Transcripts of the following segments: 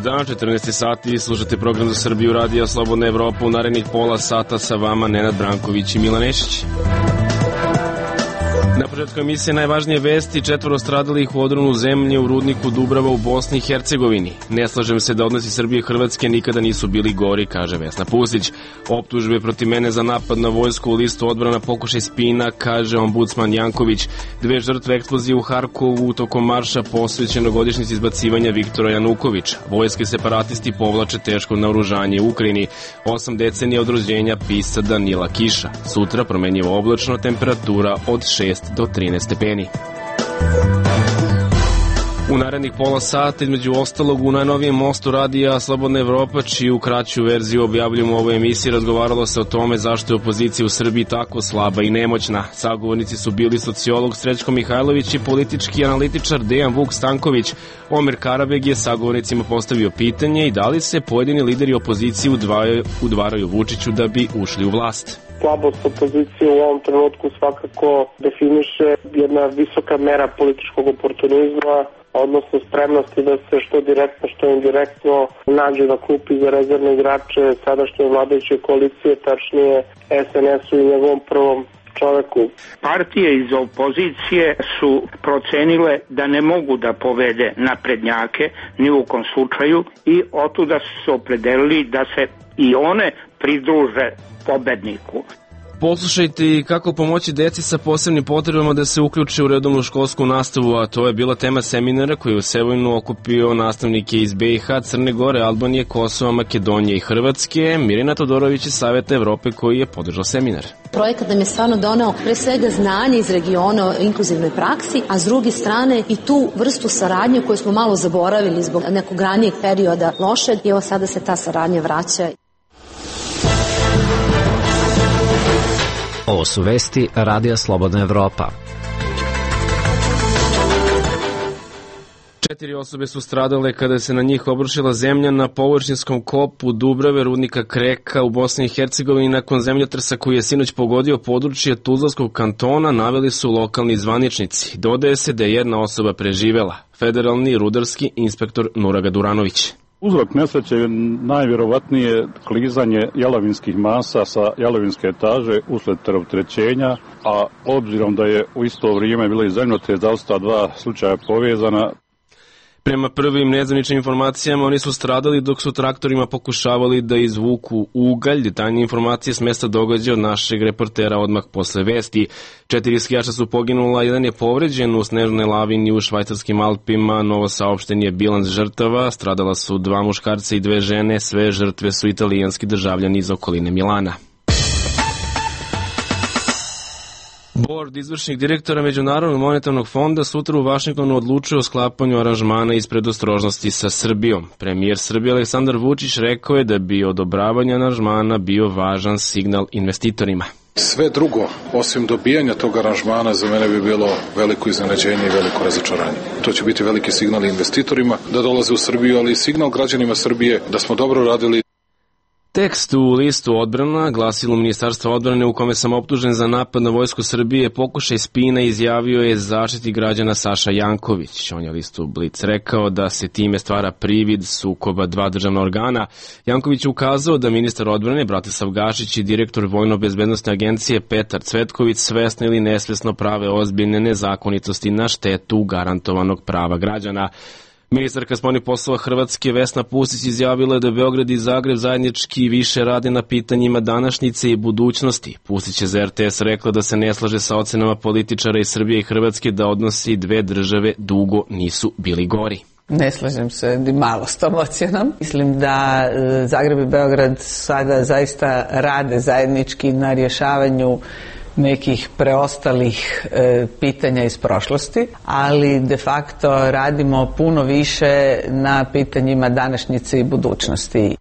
Dobar dan, 14 sati, slušate program za Srbiju, Radio Slobodna Evropa. U narednih pola sata sa vama Nenad Branković i Milan Nešić. Na početku emisije najvažnije vesti: 4 stradalih u odronu zemlje u rudniku Dubrava u Bosni i Hercegovini. Ne slažem se da odnosi Srbije i Hrvatske nikada nisu bili gori, kaže Vesna Pusić. Optužbe protiv mene za napad na vojsku u listu odbrana pokušaj spina, kaže ombudsman Janković. 2 žrtve eksplozije u Harkovu tokom marša posvećeno godišnjici izbacivanja Viktora Janukovića. Vojske separatisti povlače teško naoružanje u Ukrajini. 8 decenija od rođenja pisca Danila Kiša. Sutra promenjivo oblačno, temperatura od 6 do 13 stepeni. U narednih pola sata, između ostalog, u najnovijem mostu Radija Slobodna Evropa, čiju kraću verziju objavljujemo u ovoj emisiji, razgovaralo se o tome zašto je opozicija u Srbiji tako slaba i nemoćna. Sagovornici su bili sociolog Srećko Mihajlović i politički analitičar Dejan Vuk Stanković. Omer Karabeg je sagovornicima postavio pitanje i da li se pojedini lideri opozicije udvaraju Vučiću da bi ušli u vlast. Slabost opozicije u ovom trenutku svakako definiše jedna visoka mera političkog oportunizma, odnosno spremnosti da se što direktno, što indirektno nađe na klupi za rezervne igrače sadašnje vladajuće koalicije, tačnije SNS-u i njegovom prvom čoveku. Partije iz opozicije su procenile da ne mogu da povede naprednjake ni u kom slučaju i otuda su se opredelili da se i one pridruže pobedniku. Poslušajte kako pomoći deci sa posebnim potrebama da se uključe u redovnu školsku nastavu, a to je bila tema seminara koji je u Sevojnu okupio nastavnike iz BiH, Crne Gore, Albanije, Kosova, Makedonije i Hrvatske. Mirjana Todorović iz Saveta Evrope koji je podržao seminar. Projekat nam je stvarno doneo pre svega znanje iz regiona o inkluzivnoj praksi, a s druge strane i tu vrstu saradnje koju smo malo zaboravili zbog nekog ranijeg perioda lošeg i evo sada se ta saradnja vraća. Ovo su vesti Radija Slobodna Evropa. 4 osobe su stradale kada se na njih obrušila zemlja na površinskom kopu Dubrave, rudnika Kreka u Bosni i Hercegovini nakon zemljotresa koji je sinoć pogodio područje Tuzlanskog kantona, naveli su lokalni zvaničnici. Dodaje se da je jedna osoba preživela, federalni rudarski inspektor Nuraga Duranović. Uzrok nesreće je najvjerovatnije klizanje jalovinskih masa sa jalovinske etaže usled preopterećenja, a obzirom da je u isto vrijeme bilo i zemljotres, da su ta 2 slučaja povezana. Prema prvim nezvaničnim informacijama, oni su stradali dok su traktorima pokušavali da izvuku ugalj. Detaljnije informacije s mesta događaja od našeg reportera odmah posle vesti. 4 skijača su poginula, 1 je povređen u snežnoj lavini u švajcarskim Alpima. Novo saopšten je bilans žrtava. Stradala su 2 muškarca i 2 žene. Sve žrtve su italijanski državljani iz okoline Milana. Bord izvršnih direktora Međunarodnog monetarnog fonda sutra u Vašingtonu odlučuje o sklapanju aranžmana iz predostrožnosti sa Srbijom. Premijer Srbije Aleksandar Vučić rekao je da bi odobravanje aranžmana bio važan signal investitorima. Sve drugo, osim dobijanja tog aranžmana, za mene bi bilo veliko iznenađenje i veliko razočaranje. To će biti veliki signal investitorima da dolaze u Srbiju, ali i signal građanima Srbije da smo dobro radili. Tekst u listu odbrana, glasilu Ministarstva odbrane u kome sam optužen za napad na vojsku Srbije, pokušaj spina, izjavio je Zaštitnik građana Saša Janković. On je listu Blic rekao da se time stvara privid sukoba 2 državna organa. Janković je ukazao da ministar odbrane Bratislav Gašić i direktor Vojno-bezbednosne agencije Petar Cvetković svesno ili nesvesno prave ozbiljne nezakonitosti na štetu garantovanog prava građana. Ministarka spoljnih poslova Hrvatske Vesna Pusić izjavila je da Beograd i Zagreb zajednički više rade na pitanjima današnjice i budućnosti. Pusić je za RTS rekla da se ne slaže sa ocenama političara iz Srbije i Hrvatske da odnosi 2 države dugo nisu bili gori. Ne slažem se ni malo s tom ocjenom. Mislim da Zagreb i Beograd sada zaista rade zajednički na rješavanju nekih preostalih pitanja iz prošlosti, ali de facto radimo puno više na pitanjima današnjice i budućnosti.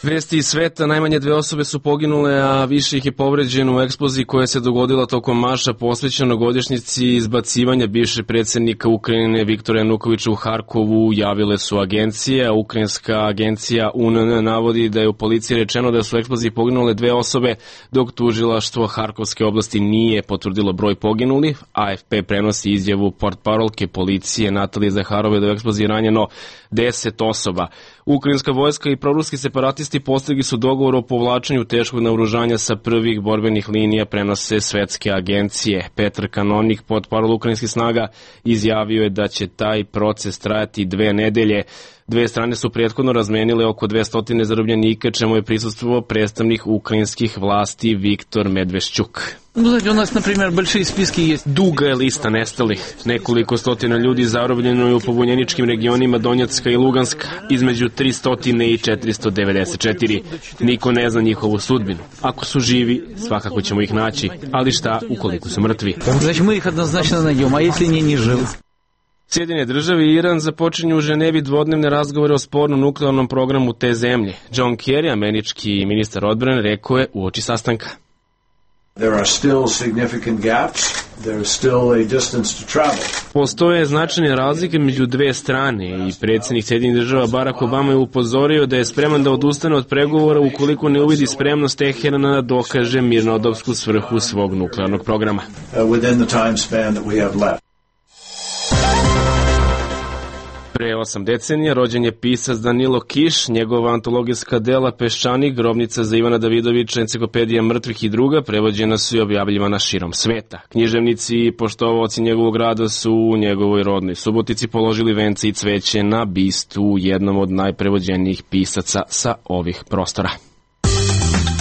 Vesti iz sveta, najmanje 2 osobe su poginule, a više ih je povređeno u eksploziji koja se dogodila tokom marša posvećeno godišnjici izbacivanja bivšeg predsjednika Ukrajine Viktora Janukovića u Harkovu, javile su agencije, a ukrajinska agencija UNN navodi da je u policiji rečeno da su u eksploziji poginule 2 osobe, dok tužilaštvo Harkovske oblasti nije potvrdilo broj poginulih. AFP prenosi izjavu portparolke policije Natalije Zaharove da u eksploziji ranjeno 10 osoba. Ukrajinska vojska i proruski separatisti postigli su dogovor o povlačenju teškog naoružanja sa prvih borbenih linija, prenose svetske agencije. Petr Kanonik, portparol ukrajinskih snaga, izjavio je da će taj proces trajati 2 nedelje. 2 strane su prethodno razmenile oko 200 zarobljenika, čemu je prisustvovao predstavnik ukrajinskih vlasti Viktor Medvešćuk. У нас, например, большие списки есть. Duga je lista nestalih. Nekoliko stotina ljudi zarobljeno je u pobunjeničkim regionima Donjacka i Luganska, između 300 i 494. Niko ne zna njihovu sudbinu. Ako su živi, svakako ćemo ih naći, ali šta ukoliko su mrtvi? Znači, mi ih однозначно найдем, а если не живы? Sjedinjene države i Iran započinju u Ženevi dvodnevne razgovore o spornom nuklearnom programu te zemlje. John Kerry, američki ministar odbrane, rekao je uoči sastanka. There are still significant gaps. There is still a distance to travel. Postoje značajne razlike među 2 strane i predsjednik Sjedinjenih država Barack Obama je upozorio da je spreman da odustane od pregovora ukoliko ne uvidi spremnost Teherana da dokaže mirnodopsku svrhu svog nuklearnog programa. Within the time span that we have left. Pre 8 decenija rođen je pisac Danilo Kiš, njegova antologijska dela Peščanik, Grobnica za Ivana Davidovića, Enciklopedija mrtvih i druga prevođena su i objavljivana širom sveta. Književnici i poštovaoci njegovog rada su u njegovoj rodnoj Subotici položili vence i cveće na bistu jednom od najprevođenijih pisaca sa ovih prostora.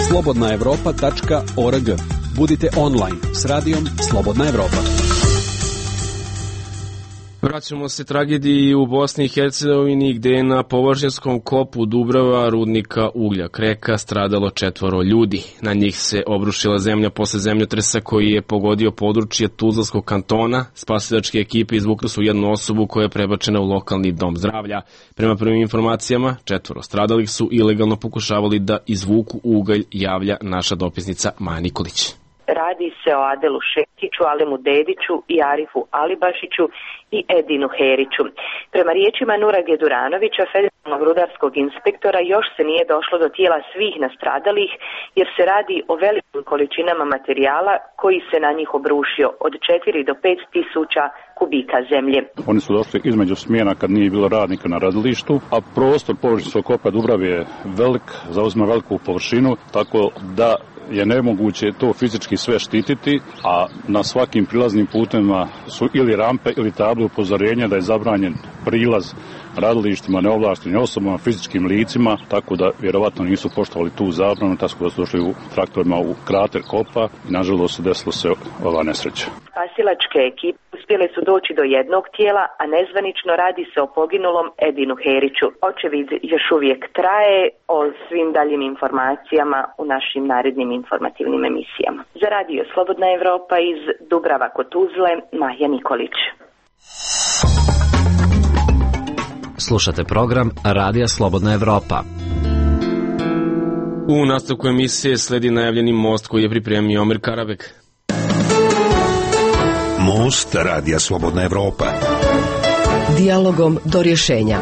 Slobodnaevropa.org. Budite online s radijom Slobodna Evropa. Vraćamo se tragediji u Bosni i Hercegovini gde je na površinskom kopu Dubrava rudnika uglja Kreka stradalo 4 ljudi. Na njih se obrušila zemlja posle zemljotresa koji je pogodio područje Tuzlanskog kantona. Spasilačke ekipe izvukli su jednu osobu koja je prebačena u lokalni dom zdravlja. Prema prvim informacijama, 4 stradalih su ilegalno pokušavali da izvuku ugalj, javlja naša dopisnica Maja Nikolić. Radi se o Adelu Šekiću, Alemu Dediću i Arifu Alibašiću i Edinu Heriću. Prema riječima Nura Geduranovića, federalnog rudarskog inspektora, još se nije došlo do tijela svih nastradalih jer se radi o velikim količinama materijala koji se na njih obrušio od 4 do 5 tisuća kubika zemlje. Oni su došli između smjena kad nije bilo radnika na radilištu, a prostor površinskog kopa Dubrave je velik, zauzima veliku površinu, tako da je nemoguće to fizički sve štititi, a na svakim prilaznim putima su ili rampe ili table upozorenja da je zabranjen prilaz radilištima, neovlaštenim osobama, fizičkim licima, tako da vjerovatno nisu poštovali tu zabranu, tako da su došli u traktorima u krater kopa i nažalost desilo se ova nesreća. Spasilačke ekipe uspjele su doći do jednog tijela, a nezvanično radi se o poginulom Edinu Heriću. Očevid još uvijek traje. O svim daljim informacijama u našim narednim informativnim emisijama. Za radio Slobodna Evropa iz Dubrava kod Tuzle, Maja Nikolić. Slušate program Radija Slobodna Evropa. U nastavku emisije sledi najavljeni most koji je pripremio Omer Karabek. Most Radija Slobodna Evropa. Dijalogom do rješenja.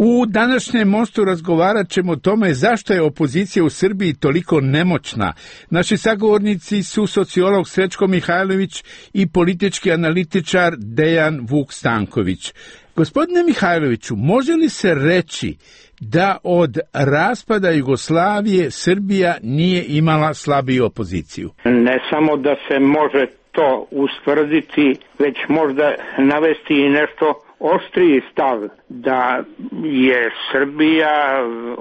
U današnjem mostu razgovarat ćemo o tome zašto je opozicija u Srbiji toliko nemoćna. Naši sagovornici su sociolog Srećko Mihajlović i politički analitičar Dejan Vuk Stanković. Gospodine Mihajloviću, može li se reći da od raspada Jugoslavije Srbija nije imala slabiju opoziciju? Ne samo da se može to ustvrditi, već možda navesti i nešto oštriji stav da je Srbija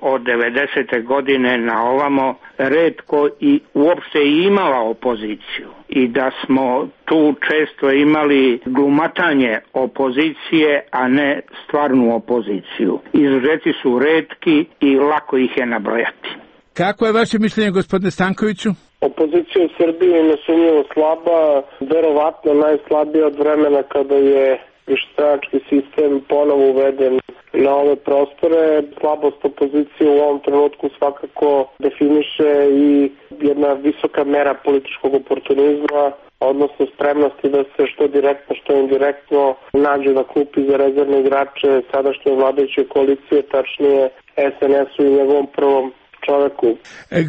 od 90. godine na ovamo retko i uopšte imala opoziciju i da smo tu često imali glumatanje opozicije, a ne stvarnu opoziciju. Izuzeti su retki i lako ih je nabrojati. Kako je vaše mišljenje, gospodine Stankoviću? Opozicija u Srbiji je nesumnjivo slaba, verovatno najslabija od vremena kada je višestranački sistem ponovo uveden na ove prostore. Slabost opozicije u ovom trenutku svakako definiše i jedna visoka mera političkog oportunizma, odnosno spremnosti da se što direktno, što indirektno nađe na klupi za rezervne igrače sadašnje vladajuće koalicije, tačnije SNS-u i njegovom prvom čoveku.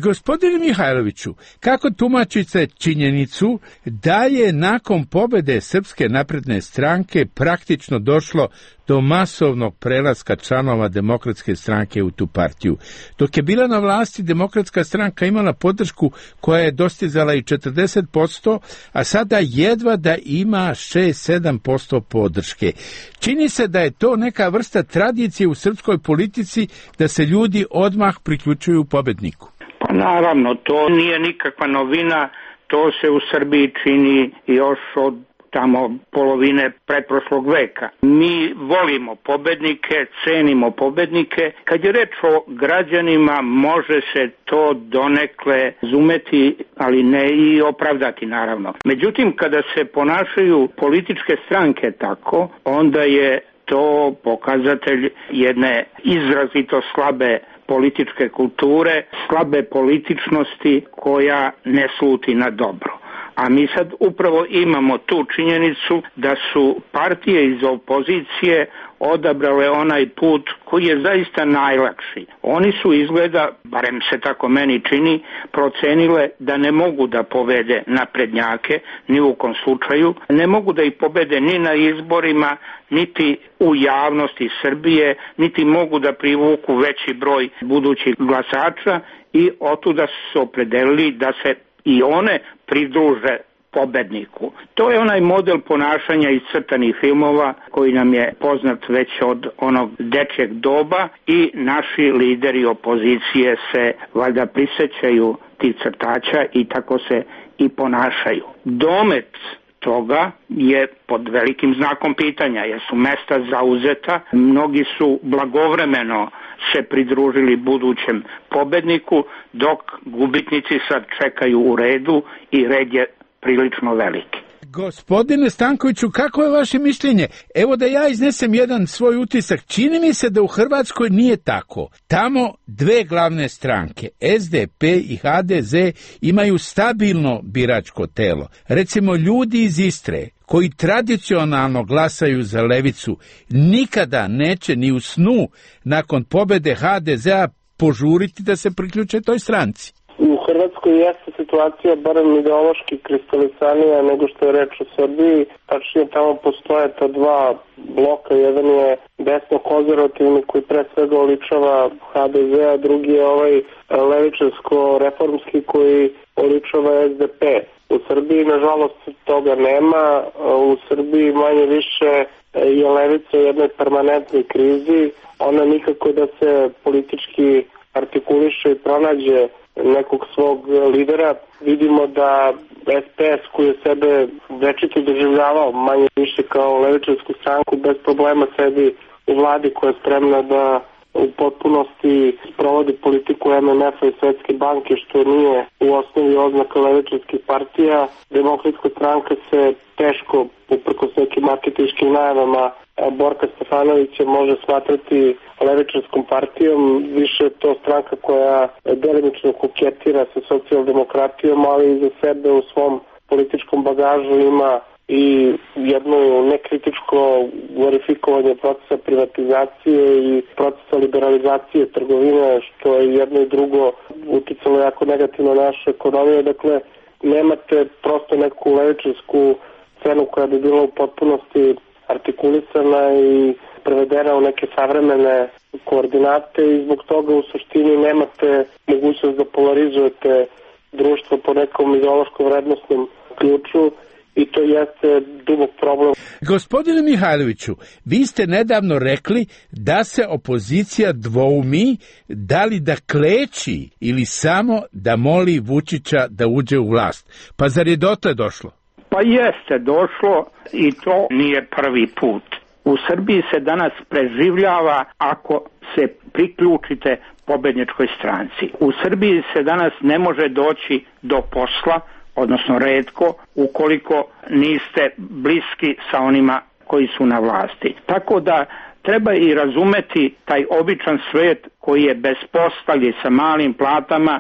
Gospodine Mihajloviću, kako tumačite činjenicu da je nakon pobede Srpske napredne stranke praktično došlo do masovnog prelaska članova Demokratske stranke u tu partiju? Dok je bila na vlasti, Demokratska stranka imala podršku koja je dostizala i 40%, a sada jedva da ima 6-7% podrške. Čini se da je to neka vrsta tradicije u srpskoj politici da se ljudi odmah priključuju pobedniku. Pa naravno, to nije nikakva novina, to se u Srbiji čini još od tamo polovine pretprošlog veka. Mi volimo pobednike, cenimo pobednike. Kad je reč o građanima, može se to donekle razumeti, ali ne i opravdati naravno. Međutim, kada se ponašaju političke stranke tako, onda je to pokazatelj jedne izrazito slabe političke kulture, slabe političnosti koja ne sluti na dobro. A mi sad upravo imamo tu činjenicu da su partije iz opozicije odabrale onaj put koji je zaista najlakši. Oni su izgleda, barem se tako meni čini, procenile da ne mogu da pobede naprednjake, ni u kom slučaju, ne mogu da ih pobede ni na izborima, niti u javnosti Srbije, niti mogu da privuku veći broj budućih glasača i otuda su se opredelili da se i one pridruže pobedniku. To je onaj model ponašanja iz crtanih filmova koji nam je poznat već od onog dečjeg doba i naši lideri opozicije se valjda prisećaju tih crtača i tako se i ponašaju. Domet toga je pod velikim znakom pitanja, jer su mesta zauzeta, mnogi su blagovremeno se pridružili budućem pobedniku, dok gubitnici sad čekaju u redu i red je prilično veliki. Gospodine Stankoviću, kako je vaše mišljenje? Evo da ja iznesem jedan svoj utisak. Čini mi se da u Hrvatskoj nije tako. Tamo dve glavne stranke, SDP i HDZ, imaju stabilno biračko telo. Recimo, ljudi iz Istre, koji tradicionalno glasaju za levicu, nikada neće ni u snu nakon pobede HDZ-a požuriti da se priključe toj stranci. U Hrvatskoj jeste situacija barem ideološki kristalisanija nego što je reč o Srbiji. Tačnije, tamo postoje ta dva bloka. Jedan je desno-konzervativni koji pre svega oličava HDZ, a drugi je ovaj levičarsko-reformski koji oličava SDP. U Srbiji, nažalost, toga nema. U Srbiji manje više je levica u jednoj permanentnoj krizi. Ona nikako da se politički artikuliše i pronađe nekog svog lidera. Vidimo da SPS, koji je sebe večito doživljavao manje više kao levičarsku stranku, bez problema sedi u vladi koja je spremna da u potpunosti sprovodi politiku MMF-a i Svetske banke, što nije u osnovi oznaka levičarskih partija. Demokratska stranka se teško, uprkos nekim marketinškim najavama Borka Stefanovića, može smatrati levičarskom partijom. Više je to stranka koja delimično koketira sa socijaldemokratijom, ali i za sebe u svom političkom bagažu ima i jedno nekritičko glorifikovanje procesa privatizacije i procesa liberalizacije trgovine, što je jedno i drugo uticalo jako negativno na našu ekonomiju. Dakle, nemate prosto neku levičarsku scenu koja bi bila u potpunosti artikulisana i prevedena u neke savremene koordinate i zbog toga u suštini nemate mogućnost da polarizujete društvo po nekom ideološkom vrednostnom ključu i to jeste dubok problem. Gospodine Mihajloviću, vi ste nedavno rekli da se opozicija dvoumi da li da kleči ili samo da moli Vučića da uđe u vlast. Pa zar je dotle došlo? Pa jeste došlo i to nije prvi put. U Srbiji se danas preživljava ako se priključite pobedničkoj stranci. U Srbiji se danas ne može doći do posla, odnosno retko, ukoliko niste bliski sa onima koji su na vlasti. Tako da treba i razumeti taj običan svet koji je bez posla sa malim platama,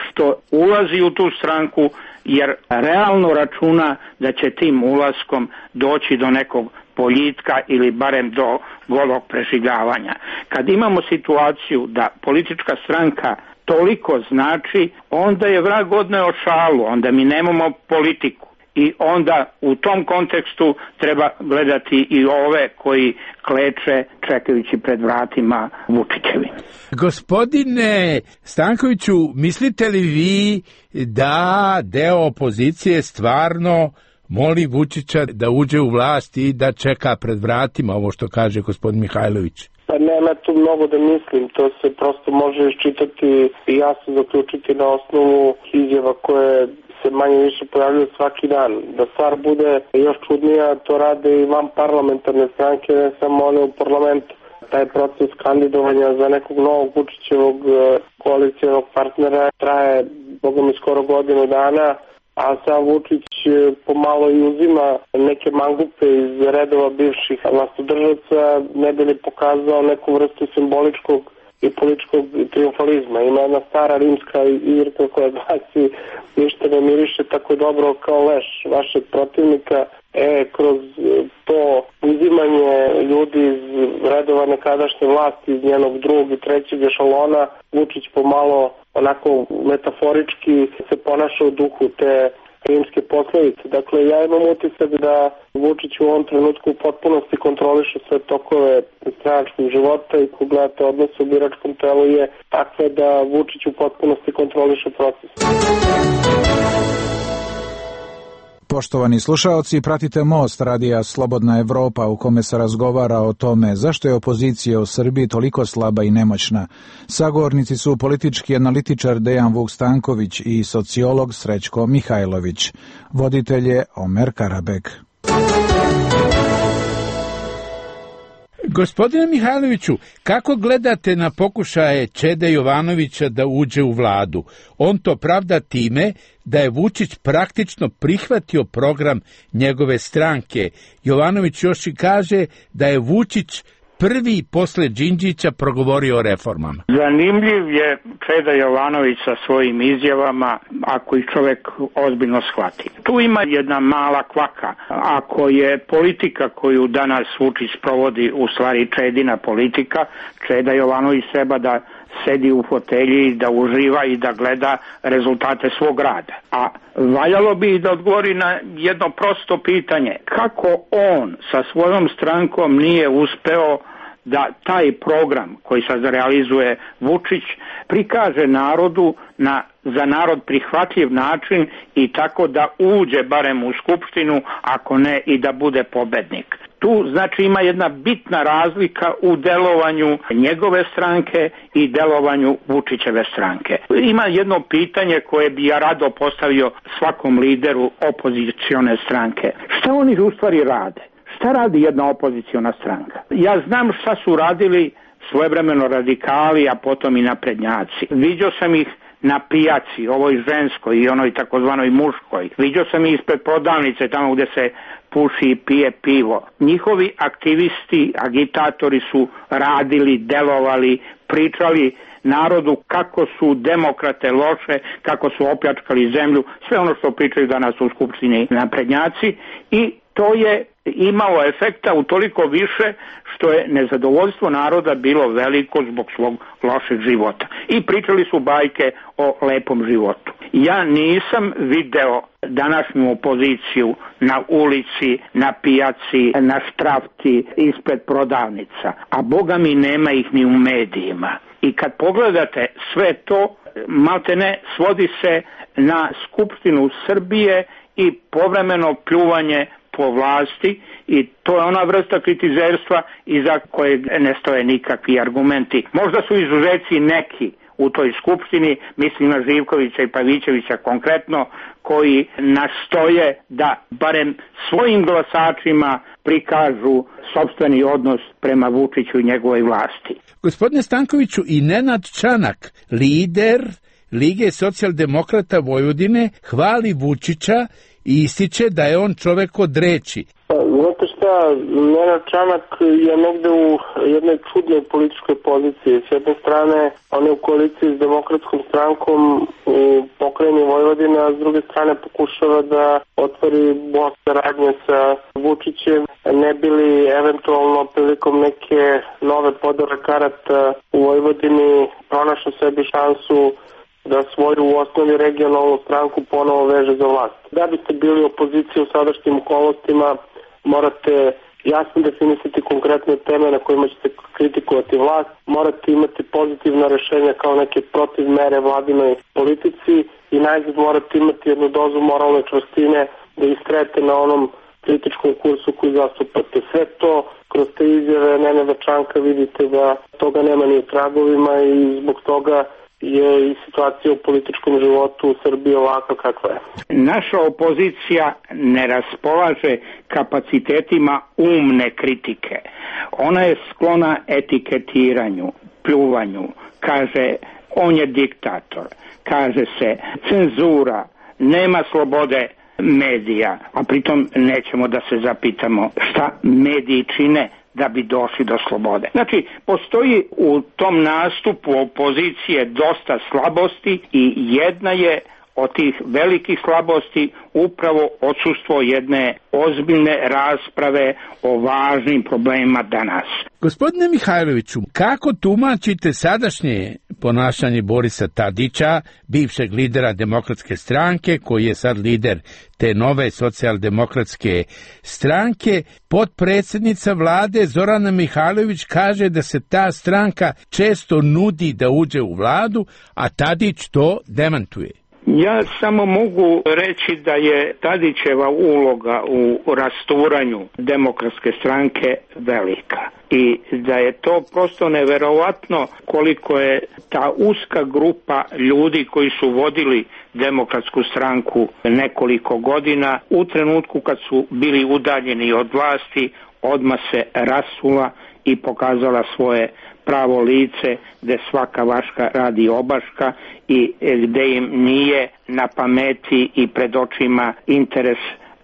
što ulazi u tu stranku jer realno računa da će tim ulaskom doći do nekog boljitka ili barem do golog preživljavanja. Kad imamo situaciju da politička stranka toliko znači, onda je vrag odneo šalu, onda mi nemamo politiku. I onda u tom kontekstu treba gledati i ove koji kleče čekajući pred vratima Vučićevi. Gospodine Stankoviću, mislite li vi da deo opozicije stvarno moli Vučića da uđe u vlast i da čeka pred vratima, ovo što kaže gospodin Mihajlović? Pa nema tu mnogo da mislim, to se prosto može iščitati i jasno zaključiti na osnovu izjava koje se manje više pojavljaju svaki dan. Da stvar bude još čudnija, to rade i van parlamentarne stranke, ne samo one u parlamentu. Taj proces kandidovanja za nekog novog Vučićevog koalicijalnog partnera traje, boga mi, skoro godinu dana, a sam Vučić pomalo i uzima neke mangupe iz redova bivših vlastodržaca, ne bi li pokazao neku vrstu simboličkog i političkog triumfalizma. Ima jedna stara rimska izreka koja glasi: ništa ne miriše tako dobro kao leš vašeg protivnika. Kroz to uzimanje ljudi iz redova nekadašnje vlasti, iz njenog drugog i trećeg ešalona, Vučić pomalo onako metaforički se ponaša u duhu te rimske poslovice. Dakle, ja imam utisak da Vučić u ovom trenutku u potpunosti kontroliše sve tokove stranačkog života i ko gledate odnos u biračkom telu je takve da Vučić u potpunosti kontroliše proces. Poštovani slušaoci, pratite Most radija Slobodna Evropa u kome se razgovara o tome zašto je opozicija u Srbiji toliko slaba i nemoćna. Sagovornici su politički analitičar Dejan Vuk Stanković i sociolog Srećko Mihajlović. Voditelj je Omer Karabek. Gospodine Mihajloviću, kako gledate na pokušaje Čede Jovanovića da uđe u vladu? On to pravda time da je Vučić praktično prihvatio program njegove stranke. Jovanović još i kaže da je Vučić prvi posle Đinđića progovorio o reformama. Zanimljiv je Čeda Jovanović sa svojim izjavama, ako ih čovek ozbiljno shvati. Tu ima jedna mala kvaka. Ako je politika koju danas Vučić sprovodi u stvari Čedina politika, Čeda Jovanović treba da sedi u fotelji, da uživa i da gleda rezultate svog rada. A valjalo bi da odgovori na jedno prosto pitanje. Kako on sa svojom strankom nije uspeo da taj program koji sad realizuje Vučić prikaže narodu na za narod prihvatljiv način i tako da uđe barem u Skupštinu, ako ne i da bude pobednik. Tu znači ima jedna bitna razlika u delovanju njegove stranke i delovanju Vučićeve stranke. Ima jedno pitanje koje bi ja rado postavio svakom lideru opozicione stranke. Šta oni u stvari rade? Šta radi jedna opoziciona stranka? Ja znam šta su radili svojevremeno radikali, a potom i naprednjaci. Viđao sam ih na pijaci, ovoj ženskoj i onoj takozvanoj muškoj. Viđao sam ih ispred prodavnice, tamo gde se puši i pije pivo. Njihovi aktivisti, agitatori su radili, delovali, pričali narodu kako su demokrate loše, kako su opljačkali zemlju, sve ono što pričaju danas u Skupštini naprednjaci, i to je imalo efekta utoliko više što je nezadovoljstvo naroda bilo veliko zbog svog lošeg života. I pričali su bajke o lepom životu. Ja nisam video današnju opoziciju na ulici, na pijaci, na štrafti, ispred prodavnica, a boga mi nema ih ni u medijima. I kad pogledate sve to, maltene svodi se na Skupštinu Srbije i povremeno pljuvanje po vlasti, i to je ona vrsta kritizerstva iza kojeg ne stoje nikakvi argumenti. Možda su izuzeci neki u toj skupštini, mislim na Živkovića i Pavićevića konkretno, koji nastoje da barem svojim glasačima prikažu sopstveni odnos prema Vučiću i njegovoj vlasti. Gospodine Stankoviću, i Nenad Čanak, lider Lige socijaldemokrata Vojvodine, hvali Vučića i ističe da je on čovek od reči. Znate šta, Nenad Čanak je negde u jednoj čudnoj političkoj poziciji. S jedne strane, on je u koaliciji s Demokratskom strankom u pokrajini Vojvodine, a s druge strane pokušava da otvori most saradnje sa Vučićem, ne bi li eventualno prilikom neke nove podele karata u Vojvodini pronašao sebi šansu da svoju u osnovi regionalnu stranku ponovo veže za vlast. Da biste bili opozicija u sadašnjim okolnostima, morate jasno definisati konkretne teme na kojima ćete kritikovati vlast, morate imati pozitivna rešenja kao neke protivmere vladinoj politici i najzad morate imati jednu dozu moralne čvrstine da istrajete na onom kritičkom kursu koji zastupate. Sve to kroz te izjave Nenada Čanka vidite da toga nema ni u tragovima i zbog toga je i situacija u političkom životu u Srbiji ovakva kakva je. Naša opozicija ne raspolaže kapacitetima umne kritike. Ona je sklona etiketiranju, pljuvanju, kaže on je diktator, kaže se cenzura, nema slobode medija, a pritom nećemo da se zapitamo šta mediji čine da bi došli do slobode. Znači, postoji u tom nastupu opozicije dosta slabosti i jedna je od tih velikih slabosti upravo odsustvo jedne ozbiljne rasprave o važnim problemima danas. Gospodine Mihajloviću, kako tumačite sadašnje ponašanje Borisa Tadića, bivšeg lidera Demokratske stranke, koji je sad lider te nove socijaldemokratske stranke? Potpredsjednica vlade Zorana Mihajlović kaže da se ta stranka često nudi da uđe u vladu, a Tadić to demantuje. Ja samo mogu reći da je Tadićeva uloga u rasturanju Demokratske stranke velika i da je to prosto neverovatno koliko je ta uska grupa ljudi koji su vodili Demokratsku stranku nekoliko godina u trenutku kad su bili udaljeni od vlasti odmah se rasula i pokazala svoje pravo lice gde svaka vaška radi obaška i gde im nije na pameti i pred očima interes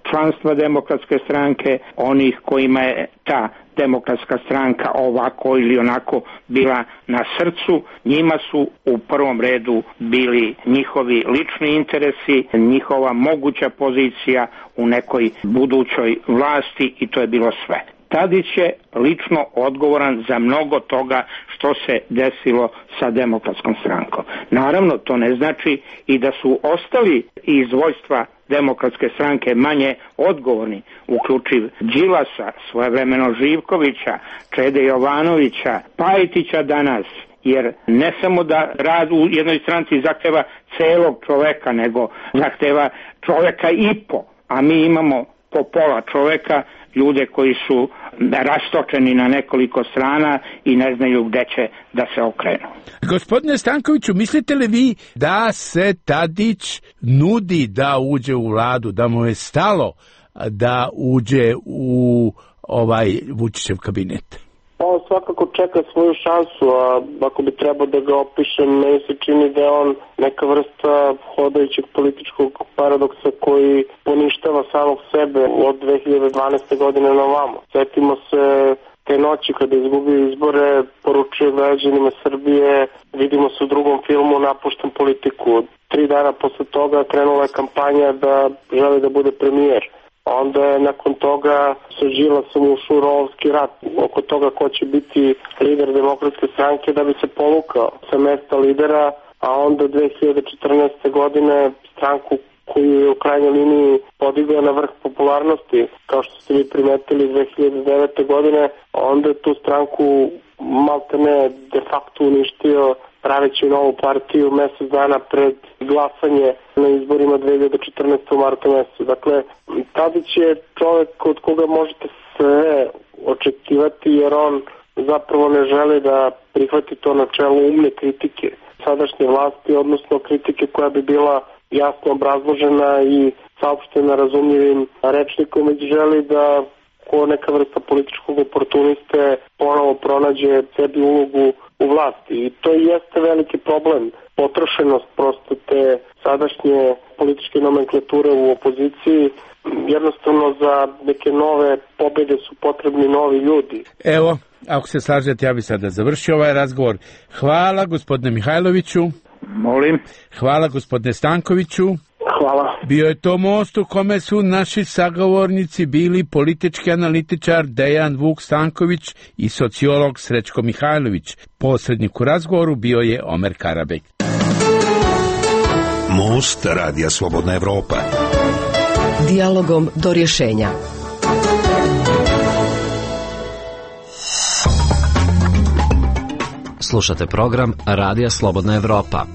članstva Demokratske stranke, onih kojima je ta Demokratska stranka ovako ili onako bila na srcu, njima su u prvom redu bili njihovi lični interesi, njihova moguća pozicija u nekoj budućoj vlasti i to je bilo sve. Tadić je lično odgovoran za mnogo toga što se desilo sa Demokratskom strankom. Naravno, to ne znači i da su ostali iz vojstva Demokratske stranke manje odgovorni, uključiv Đilasa, svojevremeno Živkovića, Čede Jovanovića, Pajtića danas, jer ne samo da rad u jednoj stranci zahteva celog čoveka, nego zahteva čoveka i po, a mi imamo po pola čoveka, ljude koji su rastočeni na nekoliko strana i ne znaju gde će da se okrenu. Gospodine Stankoviću, mislite li vi da se Tadić nudi da uđe u vladu, da mu je stalo da uđe u Vučićev kabinet? On svakako čeka svoju šansu, a ako bi trebao da ga opišem, meni se čini da je on neka vrsta hodajućeg političkog paradoksa koji poništava samog sebe od 2012. godine na ovamo. Sjetimo se te noći kada je izgubio izbore, poručio građanima Srbije, vidimo se u drugom filmu, napuštam politiku. 3 dana posle toga krenula je kampanja da želi da bude premijer. Onda je nakon toga sa Đilasom ušao rovski rat oko toga ko će biti lider Demokratske stranke da bi se povukao sa mesta lidera, a onda 2014. godine stranku koju je u krajnjoj liniji podigao na vrh popularnosti, kao što ste vi primetili 2009. godine, onda je tu stranku maltene de facto uništio praveći novu partiju mesec dana pred glasanje na izborima 2014. u martu mesecu. Dakle, Tadić je čovjek od koga možete sve očekivati jer on zapravo ne želi da prihvati to načelo umne kritike sadašnje vlasti, odnosno kritike koja bi bila jasno obrazložena i saopštena razumljivim rečnikom, već želi da ko neka vrsta političkog oportuniste ponovo pronađe sebi ulogu u vlasti. I to i jeste veliki problem. Potrošenost prosto te sadašnje političke nomenklature u opoziciji. Jednostavno za neke nove pobjede su potrebni novi ljudi. Evo, ako se slažete, ja bih sada završio ovaj razgovor. Hvala gospodine Mihajloviću. Molim. Hvala gospodine Stankoviću. Hvala. Bio je to most u kome su naši sagovornici bili politički analitičar Dejan Vuk Stanković i sociolog Srećko Mihajlović. Posrednik u razgovoru bio je Omer Karabek. Most Radija Slobodna Evropa. Dijalogom do rješenja. Slušate program Radija Slobodna Evropa.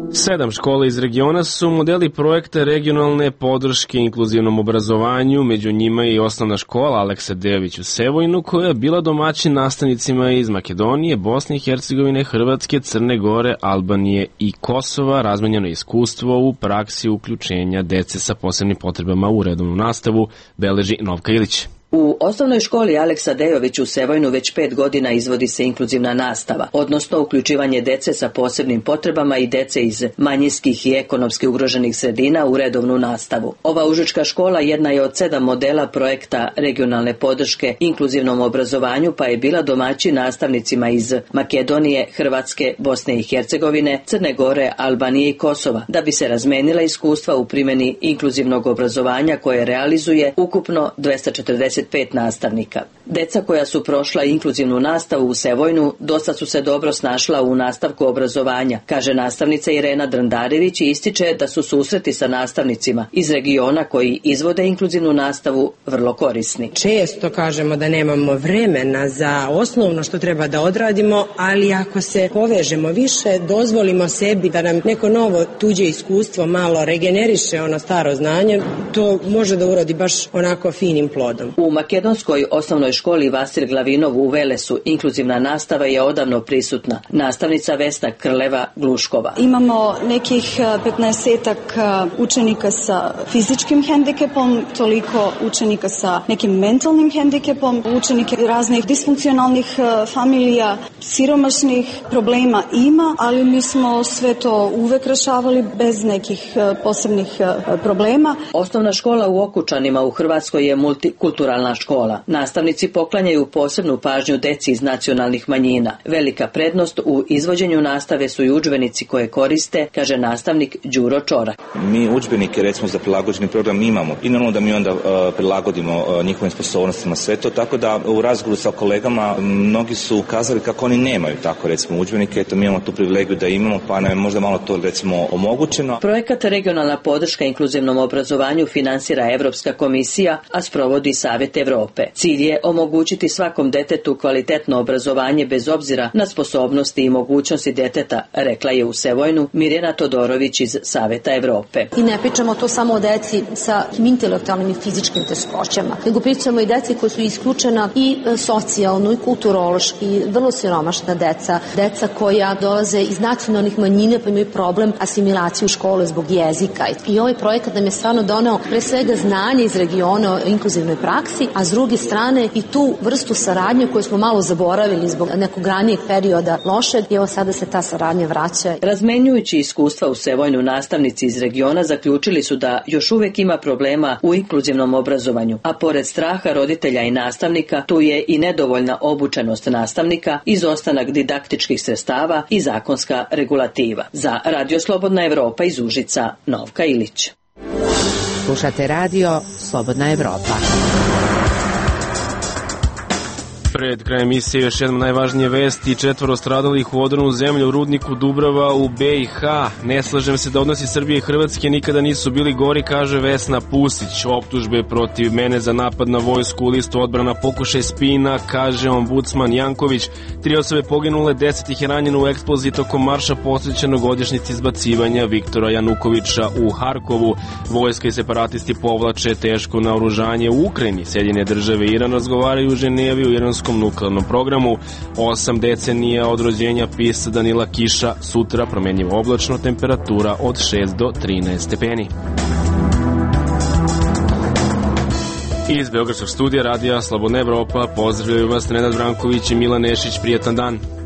7 škola iz regiona su modeli projekta regionalne podrške inkluzivnom obrazovanju, među njima i osnovna škola Aleksa Dejović u Sevojnu, koja je bila domaćin nastavnicima iz Makedonije, Bosne i Hercegovine, Hrvatske, Crne Gore, Albanije i Kosova. Razmenjeno iskustvo u praksi uključenja dece sa posebnim potrebama u redovnu nastavu, beleži Novka Ilić. U osnovnoj školi Aleksa Dejović u Sevojnu već 5 godina izvodi se inkluzivna nastava, odnosno uključivanje dece sa posebnim potrebama i dece iz manjinskih i ekonomski ugroženih sredina u redovnu nastavu. Ova užačka škola jedna je od 7 modela projekta regionalne podrške inkluzivnom obrazovanju, pa je bila domaćin nastavnicima iz Makedonije, Hrvatske, Bosne i Hercegovine, Crne Gore, Albanije i Kosova, da bi se razmenila iskustva u primjeni inkluzivnog obrazovanja koje realizuje ukupno 245 nastavnika. Deca koja su prošla inkluzivnu nastavu u Sevojnu dosta su se dobro snašla u nastavku obrazovanja, kaže nastavnica Irena Drandarević i ističe da su susreti sa nastavnicima iz regiona koji izvode inkluzivnu nastavu vrlo korisni. Često kažemo da nemamo vremena za osnovno što treba da odradimo, ali ako se povežemo više, dozvolimo sebi da nam neko novo tuđe iskustvo malo regeneriše ono staro znanje, to može da urodi baš onako finim plodom. U makedonskoj osnovnoj školi Vasil Glavinov u Velesu inkluzivna nastava je odavno prisutna. Nastavnica Vesna Krleva-Gluškova. Imamo nekih 15-ak učenika sa fizičkim hendikepom, toliko učenika sa nekim mentalnim hendikepom, učenike raznih disfunkcionalnih familija, siromašnih problema ima, ali mi smo sve to uvek rešavali bez nekih posebnih problema. Osnovna škola u Okučanima u Hrvatskoj je multikulturalna škola. Nastavnici poklanjaju posebnu pažnju deci iz nacionalnih manjina. Velika prednost u izvođenju nastave su i udžbenici koje koriste, kaže nastavnik Đuro Čorak. Mi udžbenike recimo za prilagođeni program imamo i normalno da mi onda prilagodimo njihovim sposobnostima sve to, tako da u razgovoru sa kolegama mnogi su kazali kako oni nemaju tako recimo udžbenike, eto mi imamo tu privilegiju da imamo, pa nam je možda malo to recimo omogućeno. Projekat regionalna podrška inkluzivnom obrazovanju finansira Evropska komisija, a sprovodi Savet Evrope. Cilj je omogućiti svakom detetu kvalitetno obrazovanje bez obzira na sposobnosti i mogućnosti deteta, rekla je u Sevojnu Mirjana Todorović iz Saveta Evrope. I ne pričamo to samo o deci sa intelektualnim i fizičkim teškoćama, nego pričamo i deci koji su isključena i socijalno i kulturološki, vrlo siromašna deca koja dolaze iz nacionalnih manjina pa imaju problem asimilacije u škole zbog jezika. I ovaj projekat nam je stvarno doneo pre svega znanje iz regiona o inkluzivnoj praksi, a s druge strane i tu vrstu saradnje koju smo malo zaboravili zbog nekog ranijeg perioda lošeg, i evo sada se ta saradnja vraća. Razmenjujući iskustva u Sevojnu, nastavnici iz regiona zaključili su da još uvek ima problema u inkluzivnom obrazovanju, a pored straha roditelja i nastavnika, tu je i nedovoljna obučenost nastavnika, izostanak didaktičkih sredstava i zakonska regulativa. Za Radio Slobodna Evropa iz Užica, Novka Ilić. Slušate radio Slobodna Evropa. Pred krajem emisije još jedna najvažnije vesti: 4 stradalih u odranu zemlju u rudniku Dubrava u BiH. Ne slažem se da odnosi Srbije i Hrvatske nikada nisu bili gori, kaže Vesna Pusić. Optužbe protiv mene za napad na vojsku u listu odbrana pokušaj spina, kaže ombudsman Janković. 3 osobe poginule, 10 ih je ranjeno u eksploziji tokom marša posvećenog godišnjici izbacivanja Viktora Janukovića u Harkovu. Vojska i separatisti povlače teško naoružanje u Ukrajini. Sjedinjene države i Iran razgovaraju u Ženevi u iranskom nuklearnom programu. 8 decenija od rođenja pisca Danila Kiša. Sutra promenjivo oblačno, temperatura od 6 do 13 stepeni. Iz Beogradskog studija radija Slobodna Evropa pozdravljaju vas Nenad Branković i Milan Nešić. Prijatan dan.